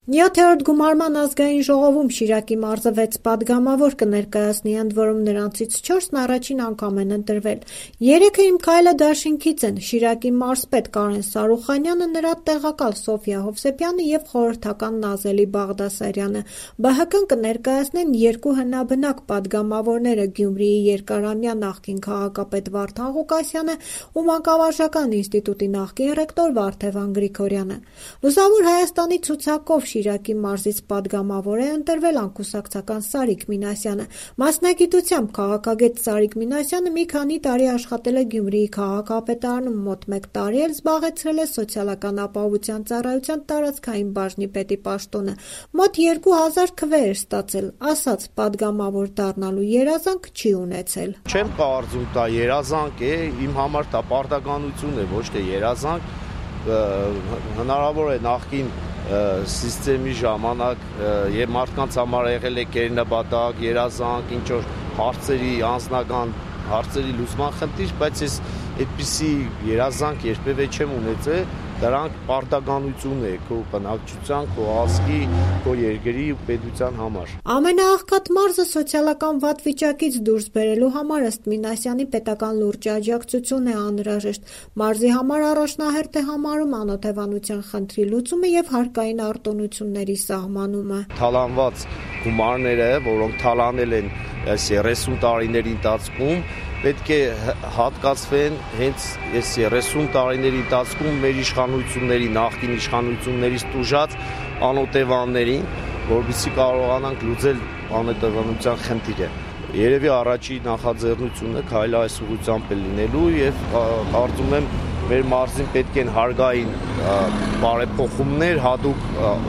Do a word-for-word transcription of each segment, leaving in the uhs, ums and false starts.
Նյոթերորդ գումարման ազգային ժողովում Շիրակի մարզը վեց պատգամավոր կներկայացնի, ընդ որում նրանցից չորսն առաջին անգամ են ընտրվել։ Երեքը «Իմ քայլը» դաշինքից են Շիրակի մարզպետ Կարեն Սարուխանյանը, նրա տեղակալ Սոֆիա Հովսեփյանը և խորհրդական Նազելի Բաղդասարյանը։ Бэ Հ K-ն կներկայացնեն երկու հնաբնակ պատգամավորները՝ Գյումրիի երկարամյա նախկին քաղաքապետ Վարդան Ղուկասյանը ու Մանկավարժական ինստիտուտի նախկին ռեկտոր Վարդևան Գրիգորյանը։ Լուսավոր Հայաստանի ցուցակով Շիրակի մարզից պատգամավոր է ընտրվել անկուսակցական Սարիկ Մինասյանը։ Մասնագիտությամբ քաղաքագետ Սարիկ Մինասյանը մի քանի տարի աշխատել է Գյումրիի քաղաքապետարանում, մոտ մեկ տարի էլ զբաղեցրել է Սոցիալական ապահովության ծառայության տարածքային բաժնի պետի պաշտոնը։ Մոտ երկու հազար քվե էր ստացել, ասաց պատգամավոր դառնալու երազանք չի ունեցել։ Չեմ կարծում դա երազանք է, իմ համար դա պարտականություն է, ոչ թե երազանք։ Հնարավոր է նախկին սիստեմի ժամանակ եւ մարդկանց համար եղել է կերնաբադակ, երազանք, ինչ որ հարցերի անձնական հարցերի լուծման խնդիր, բայց ես այդպիսի երազանք երբևէ չեմ ունեցել, դրանք պարտականություն է քո բնակչության, քո ազգի, քո երկրի ու պետության համար։ Ամենաաղքատ մարզը սոցիալական վատ վիճակից դուրս բերելու համար ըստ Մինասյանի պետական լուրջ աջակցություն է անհրաժեշտ։ Մարզի համար առաջնահերթ է համարում անօթևանության խնդրի լուծումը եւ հարկային արտոնությունների սահմանումը։ Թալանված գումարները, որոնք թալանել են այս երեսուն տարիների ընթացքում, պետք է հատկացվեն հենց այս երեսուն տարիների ընթացքում մեր իշխանությունների, նախկին իշխանություններից տուժած անօթևաններին, որովհետեւ կարողանանք լուծել անօթևանության խնդիրը։ Երևի առաջի նախաձեռնությունը քայլը այս ուղղությամբ է լինելու եւ կարծում եմ մեր մարզին պետք են հարկային բարեփոխումներ, հատուկ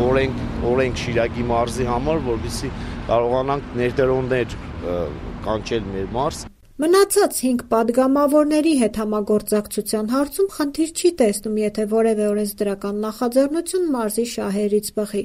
օրենք, օրենք Շիրակի մարզի համար, որովհետեւ կարողանանք ներդրումներ կանչել մեր մարզ։ Մնացած հինգ պատգամավորների հետ համագործակցության հարցում խնդիր չի տեսնում, եթե որևէ օրենսդրական նախաձեռնություն մարզի շահերից բխի։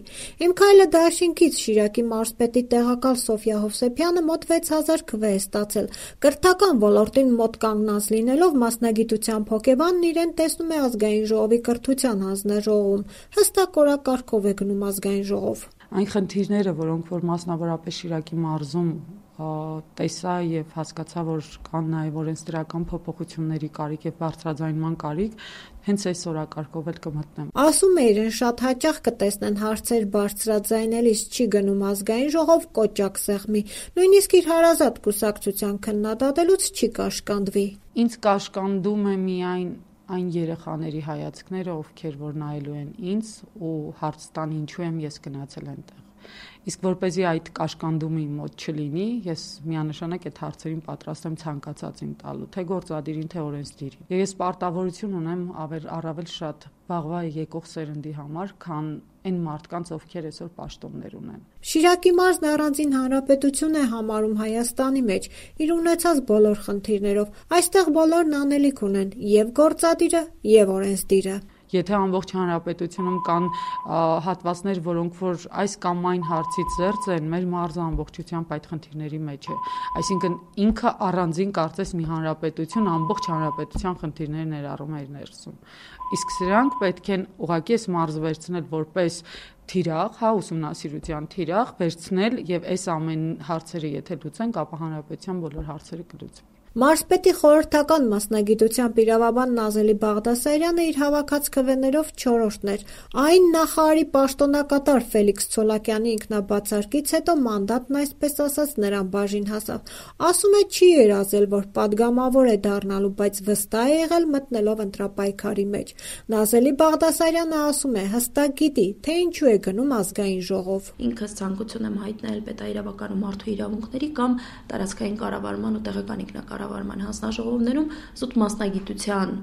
«Իմ քայլը» դաշինքից Շիրակի մարզպետի տեղակալ Սոֆիա Հովսեփյանը մոտ վեց հազար քվե է ստացել։ Կրթական ոլորտին մոտ կանգնած լինելով մասնագիտությամբ հոգեբանն իրեն տեսնում է ազգային ժողովի կրթության հանձնաժողովում։ Հստակ օրակարգով է գնում ազգային ժողով։ Այն խնդիրները, որոնք որ մասնավորապես Շիրակի մարզում տեսա եւ հասկացա, որ կան նաեւ օրենսդրական փոփոխությունների կարիք եւ բարձրաձայնման կարիք, հենց այս օրակարգով էլ կմտնեմ։ Ասում է, իրեն շատ հաճախ կտեսնեն հարցեր բարձրաձայնելիս չի գնում ազգային ժողով կոճակ սեղմի, նույնիսկ իր հարազատ կուսակցության քննադատելուց չի կաշկանդվի։ Ինձ կաշկանդում է միայն այն երեխաների հայացքները, ովքեր որ նայելու են ինձ ու հարց տան ինչու եմ ես գնացել այնտեղ։ Իսկ որպեսզի այդ կաշկանդումը իմ մոտ չլինի, ես միանշանակ այդ հարցերին պատրաստ եմ ցանկացածին տալու, թե գործադիրին, թե օրենսդիրին։ Եվ ես պարտավորություն ունեմ առավել շատ վաղվա եկող սերնդի համար, քան այն մարդկանց, ովքեր այսօր պաշտոններ ունեն։ Շիրակի մարզն առանձին հանրապետություն է համարում Հայաստանի մեջ, իր ունեցած բոլոր խնդիրներով։ Այստեղ բոլորն անելիք ունեն, եւ գործադիրը, եւ օրենսդիրը։ Եթե ամբողջ հանրապետությունում կան հատվածներ, որոնք որ այս կամ այն հարցից զերծ են, մեր մարզը ամբողջությամբ այդ խնդիրների մեջ է։ Այսինքն ինքը առանձին կարծես մի հանրապետություն ամբողջ հանրապետության խնդիրներ ներառում է իր ներսում։ Իսկ սրանք պետք են ուղղակի այս մարզը վերցնել որպես թիրախ, հա, ուսումնասիրության թիրախ, վերցնել եւ այս ամեն հարցերը եթե լուծենք, ապա հանրապետության բոլոր հարցերը կլուծվեն։ Մարզպետի խորհրդական մասնագիտությամբ իրավաբան Նազելի Բաղդասարյանը իր հավաքած քվեներով չորրորդն էր։ Այն նախարարի պաշտոնակատար Ֆելիքս Ցոլակյանի ինքնաբացարկից հետո մանդատն այսպես ասած նրան բաժին հասավ։ Ասում է չի երազել, որ պատգամավոր է դառնալու, բայց վստահ է եղել մտնելով ընտրապայքարի մեջ։ Նազելի Բաղդասարյանը ասում է, հստակ գիտի, թե ինչու է գնում ազգային ժողով։ Ինքս ցանկություն եմ հայտնել պետաիրավական ու մարդու իրավունքների կամ տարածքային կառավարման ու տեղական ինքնակառավարման հանձնաժողովներում զուտ մասնագիտության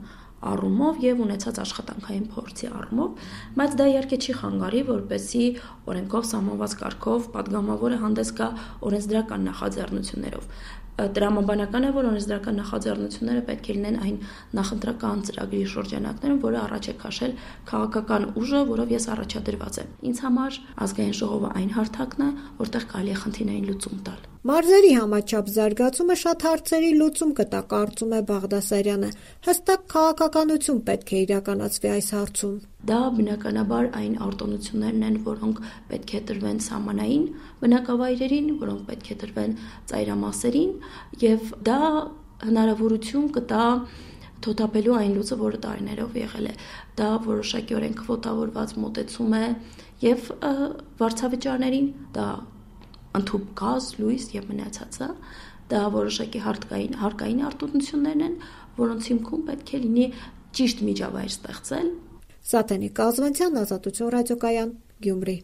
առումով եւ ունեցած աշխատանքային փորձի առումով, բայց դա իհարկե չի խանգարի, որպեսզի օրենքով սահմանված կարգով պատգամավորը հանդես գա օրենսդրական նախաձեռնություններով։ Տրամաբանական է, որ օրենսդրական նախաձեռնությունները պետք է լինեն այն նախընտրական ծրագրի շրջանակներում, որը առաջ է քաշել քաղաքական ուժը, որով ես առաջադրված եմ։ Ինձ համար ազգային ժողովը այն հարթակն է, որտեղ կարելի է խնդիրներին լուծում տալ։ Մարզերի համաչափ զարգացումը շատ հարցերի լուծում կտա, կարծում է Բաղդասարյանը։ Հստակ քաղաքականություն պետք է իրականացվի այս հարցում։ Դա բնականաբար այն արտոնություններն են, որոնք պետք է տրվեն սահմանային բնակավայրերին, որոնք պետք է տրվեն ծայրամասերին, եւ դա հնարավորություն կտա թոթափելու այն լուծը, որը տարիներով եղել է։ Դա որոշակիորեն քվոտավորված մոտեցում է եւ վարձավճարներին, դա ընդհուպ գազ, լույս եւ մնացածը, դա որոշակի հարկային հարկային արտոնություններն են, որոնց հիմքում պետք է լինի ճիշտ միջավայր ստեղծել։ Սաթենիկ Կազվանցյան, Ազատություն ռադիոկայան, Գյումրի։